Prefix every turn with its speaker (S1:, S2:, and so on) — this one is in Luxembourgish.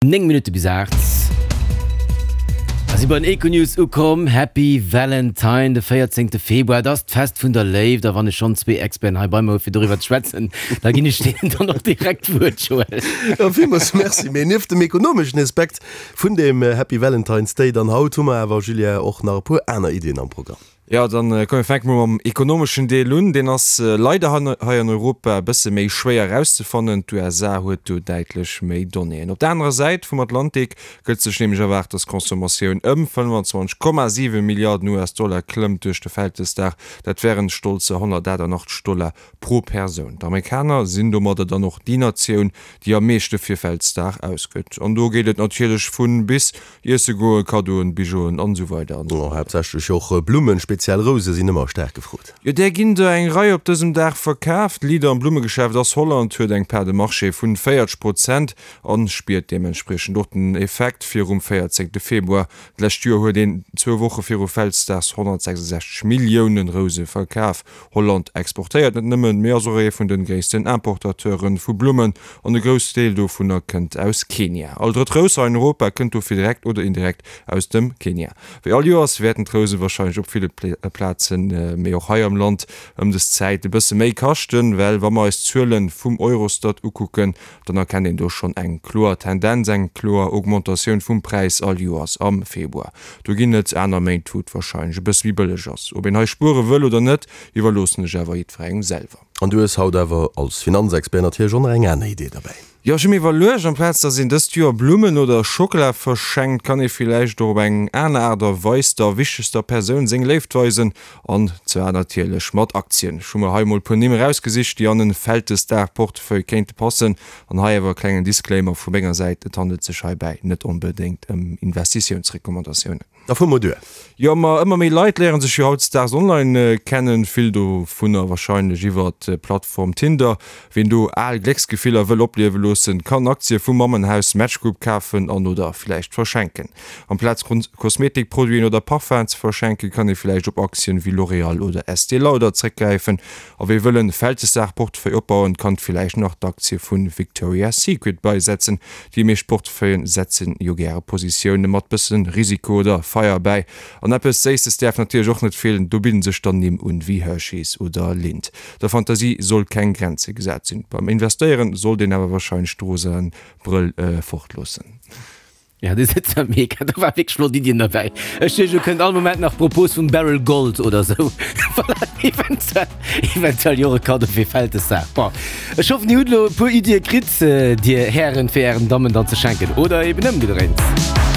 S1: 9 Minutte bis 8. A si bei den Econews ukomm. Happy Valentine, de 14 Februar, et ass d'Fest vun der Léift. A wann ech schonn zwee Experten hei bei mer hu fir doriwwer ze schwätzen, da ginn ech deenen dann och direkt d'Wuert, Joël.
S2: Jo, villmools Merci. Mee nieft dem ekonomeschen Aspekt vun deem Happy Valentine's Day dann haut, hu mer awer, Julien, och nach e puer aner Iddien am Programm.
S3: Jo, dann komm mir fänke mol mam ekonomeschen Deel un. Deen ass leider hei an Europa e bësse méi schwéier erauszefannen. D'USA huet do däitlech méi Donnéeën. Op der anerer Säit vum Atlantik gëtt sech nämlech erwaart, datt d'Consommatioun ëm 25,7 Milliarden US-Dollar klëmmt duerch de Vältesdag. Dat wären stolzer 188 Dollar pro Persoun. D'Amerikaner sinn domadder dann och déi Natioun, déi am meeschte fir Vältesdag ausgëtt. An do geet et natierlech vu bis Iesse goen, Kaddoen, Bijouen an esou weider an esou
S2: fort. Haaptsächlech och Blummen, speziell Rouse sinn ëmmer staark gefrot.
S3: Jo, där ginn der eng Rei op dësem Dag verkaaft. Leader am Blummegeschäft ass Holland, huet eng Part de marché vun 40 Prozent an spiert deementspriechend och den Effekt. Virum 14 Februar d'lescht Joer huet een zwou Woche viru Vältesdags 166 Milliounen Rouse verkaf. Holland exportéiert net nëmmen, mee ass och ee vun de gréissten Importateure vu Blummen an e grouss Deel dovunner kënnt aus Kenia. All drëtt Rous hei an Europa kënnt dofir direkt oder indirekt aus dem Kenia. Wéi all Joers wäerten d'Rouse warscheinlech op ville Plazen, mee och hei am Land ëm des Zäit e bësse méi kaschten, well wa mer eis d'Zuele vum Eurostat ukucken, dann erkennt een do schonn eng kloer Tendenz, eng kloer Augmentatioun vum Präis all Joers am Februar. Do ginn et aner Méint, wou et warscheinlech e bësse méi bëlleg ass. Ob een hei spuere wëll oder net, iwwerloossen ech awer jiddwerengem selwer.
S2: An du hues haut awer als Finanzexpert natierlech och nach eng aner Idee derbäi.
S3: Jo, ech hu mir iwwerluecht, amplaz dass een dëst Joer Blummen oder Schockela verschenkt, kann ee villäicht och op eng aner Aart a Weis der wichtegster Persoun seng Léift weisen, an zwar natierlech mat Aktien. Ech hu mer hei mol e puer Nimm erausgesicht, déi an en Vältesdag-Portefeuille kéinte passen. An hei awer e klengen Disclaimer vu menger Säit, et handelt sech heibäi net onbedéngt ëm Investitiounsrecommandatiounen.
S2: Da fuer mol duer.
S3: Jo, ma ëmmer méi Leit léieren sech jo hautdesdaags online kennen, vill dovunner warscheinlech iwwert d'Plattform Tinder. Ween do al Glécksgefiller wëll opliewe loossen, kann Aktie vum Mammenhaus Match Group kafen an oder villäicht verschenken. Amplaz Kosmetikproduiten oder Parfum'en ze verschenken, kann ee villäicht op Aktien wéi L'Oréal oder Estée Lauder zréckgräifen. A wee wëll en Vältesdag-Portefeuille opbauen, kann villäicht nach d'Aktie vu Victoria's Secret beisetzen. Déi meescht Portefeuillen setzen jo gäre Positioune mat bëssen Risiko oder Feier bäi. An eppes Séisses däerf natierlech och net feelen, do bidden sech dann Nimm un wéi Hershey's oder Lindt. Der Fantasie soll keng Grenze gesat sinn. Beim Investéieren sollt een awer warscheinlech d'rosaen Brëll fortloossen.
S1: Ja, du sitzt am Mega, do war wierklech flott Iddien derbäi. Ech duecht, elo kënnt all Moment nach d'Propos vum Barrel Gold oder sou. Voilà, eventuell, eventuell jo och e Kaddo fir Vältesdag. Bon, ech hoffen, Dir hutt elo e puer Iddie kritt, Dir Hären, fir Ären Dammen dann ze schenken oder eben ëmgedréint.